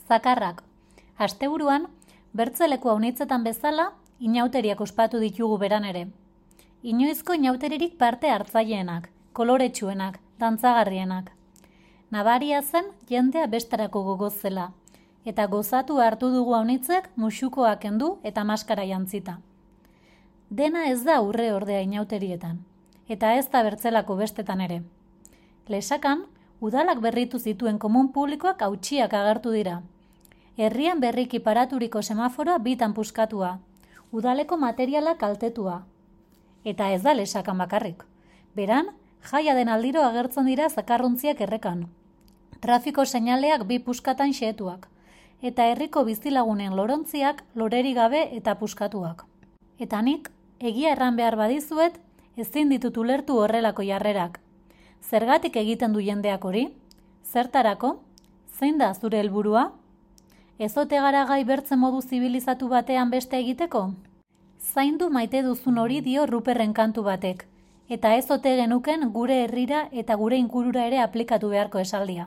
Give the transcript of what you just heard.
Zakarrak. Asteburuan, bertzeleku haunitzetan bezala, inauteriak ospatu ditugu beran ere. Inoizko inauteririk parte hartzaileenak, koloretsuenak, dantzagarrienak. Nabaria zen jendea bestarako gogoz zela, eta gozatu hartu dugu haunitzek musukoak kendu eta maskara jantzita. Dena ez da urre ordea inauterietan, eta ez da bertzelako bestetan ere. Lesakan, udalak berritu zituen komun publikoak hautsiak agertu dira. Herrian berriki paraturiko semaforoa bitan puskatua, udaleko materiala kaltetua. Eta ez da Lesakan bakarrik. Beran, jaia den aldiro agertzen dira zakarruntziak errekan. Trafiko seinaleak bi puskatan xehetuak, eta herriko bizilagunen lorontziak loreri gabe eta puskatuak. Eta nik, egia erran behar badizuet, ezin ditut ulertu horrelako jarrerak. Zergatik egiten du jendeak hori? Zertarako? Zein da zure helburua? Ez ote gara gai bertzen modu zibilizatu batean beste egiteko? Zaindu maite duzun hori dio Ruperren kantu batek, eta ez ote genuken gure herrira eta gure ingurura ere aplikatu beharko esaldia.